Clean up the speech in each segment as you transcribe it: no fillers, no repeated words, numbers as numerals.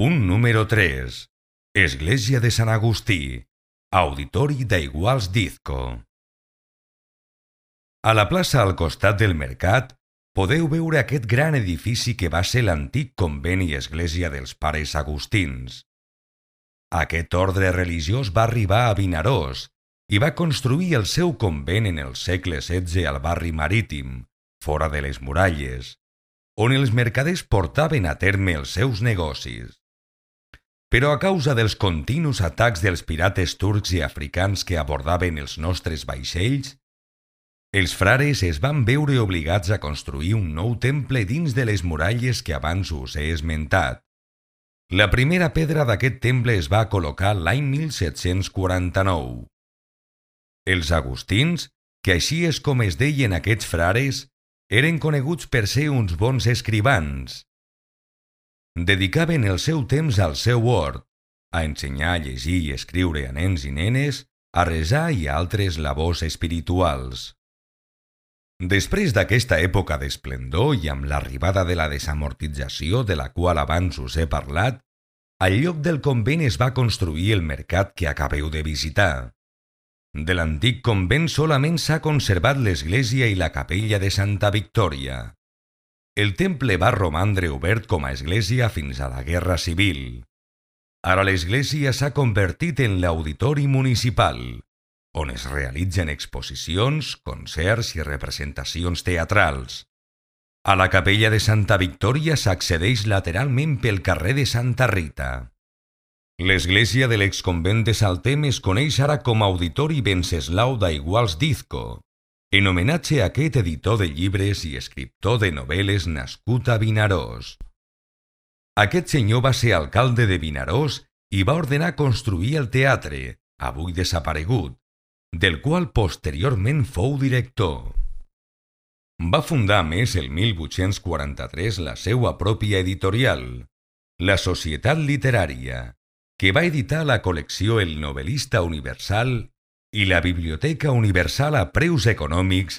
Punt número 3. Església de Sant Agustí, Auditori d'Aiguals d'Izco. A la plaça al costat del mercat podeu veure aquest gran edifici que va ser l'antic convent i església dels pares agustins. Aquest ordre religiós va arribar a Vinaròs i va construir el seu convent en el segle XVI al barri marítim, fora de les muralles, on els mercaders portaven a terme els seus negocis. Però a causa dels continus atacs dels pirates turcs i africans que abordaven els nostres vaixells, els frares es van veure obligats a construir un nou temple dins de les muralles que abans us he esmentat. La primera pedra d'aquest temple es va col·locar l'any 1749. Els agustins, que així és com es deien aquests frares, eren coneguts per ser uns bons escrivans. Dedicaven el seu temps al seu hort, a ensenyar a llegir i escriure a nens i nenes, a resar i a altres labors espirituals. Després d'aquesta època d'esplendor i amb l'arribada de la desamortització de la qual abans us he parlat, al lloc del convent es va construir el mercat que acabeu de visitar. De l'antic convent solament s'ha conservat l'església i la capella de Santa Victòria. El temple va romandre obert com a església fins a la Guerra Civil. Ara l'església s'ha convertit en l'auditori municipal, on es realitzen exposicions, concerts i representacions teatrals. A la capella de Santa Victòria s'accedeix lateralment pel carrer de Santa Rita. L'església de l'exconvent de Saltem es coneix ara com a Auditori Venceslau d'Aiguals d'Izco, en homenatge a aquest editor de llibres i escriptor de novel·les nascut a Vinaròs. Aquest senyor va ser alcalde de Vinaròs i va ordenar construir el teatre, avui desaparegut, del qual posteriorment fou director. Va fundar més el 1843 la seua pròpia editorial, la Societat Literària, que va editar la col·lecció El Novel·lista Universal i la Biblioteca Universal a preus econòmics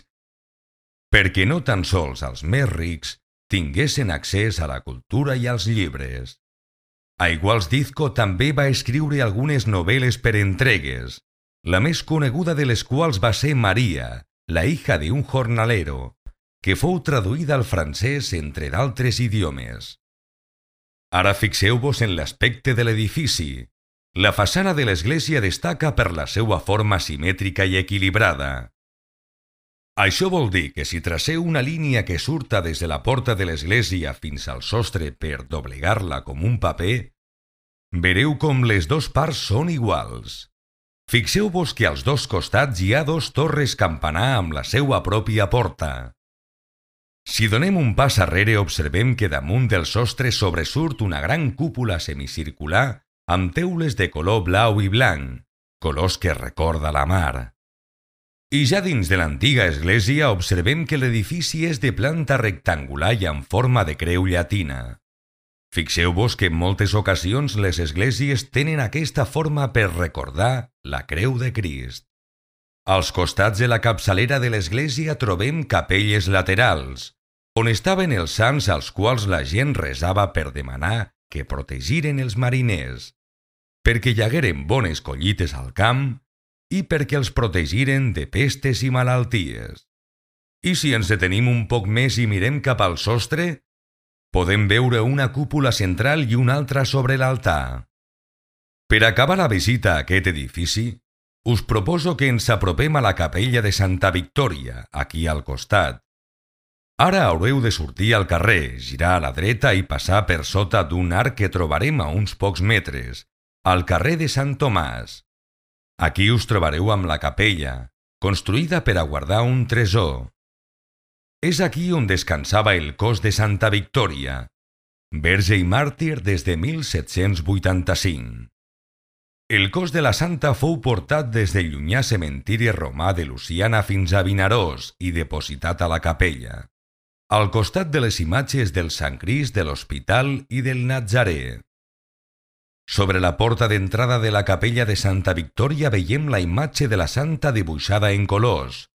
perquè no tan sols els més rics tinguessin accés a la cultura i als llibres. Aiguals d'Izco també va escriure algunes novel·les per entregues, la més coneguda de les quals va ser Maria, la hija de un jornalero, que fou traduïda al francès entre d'altres idiomes. Ara fixeu-vos en l'aspecte de l'edifici. La façana de l'església destaca per la seva forma simètrica i equilibrada. Això vol dir que si traceu una línia que surta des de la porta de l'església fins al sostre per doblegar-la com un paper, vereu com les dues parts són iguals. Fixeu-vos que als dos costats hi ha dos torres campanar amb la seva pròpia porta. Si donem un pas arrere observem que damunt del sostre sobresurt una gran cúpula semicircular amb teules de color blau i blanc, colors que recorda la mar. I ja dins de l'antiga església observem que l'edifici és de planta rectangular i amb forma de creu llatina. Fixeu-vos que en moltes ocasions les esglésies tenen aquesta forma per recordar la creu de Crist. Als costats de la capçalera de l'església trobem capelles laterals, on estaven els sants als quals la gent resava per demanar que protegiren els mariners, perquè hi hagueren bones collites al camp i perquè els protegiren de pestes i malalties. I si ens detenim un poc més i mirem cap al sostre, podem veure una cúpula central i una altra sobre l'altar. Per acabar la visita a aquest edifici, us proposo que ens apropem a la capella de Santa Victòria, aquí al costat. Ara haureu de sortir al carrer, girar a la dreta i passar per sota d'un arc que trobarem a uns pocs metres, al carrer de Sant Tomàs. Aquí us trobareu amb la capella, construïda per a guardar un tresor. És aquí on descansava el cos de Santa Victòria, verge i màrtir des de 1785. El cos de la santa fou portat des del llunyà cementiri romà de Luciana fins a Vinaròs i depositat a la capella, al costat de les imatges del Sant Crist, de l'Hospital i del Natzarè. Sobre la porta d'entrada de la capella de Santa Victòria veiem la imatge de la santa dibuixada en colors,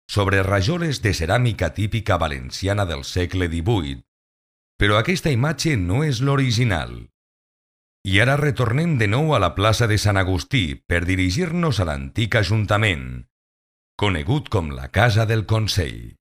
sobre rajoles de ceràmica típica valenciana del segle XVIII, però aquesta imatge no és l'original. I ara retornem de nou a la plaça de Sant Agustí per dirigir-nos a l'antic ajuntament, conegut com la Casa del Consell.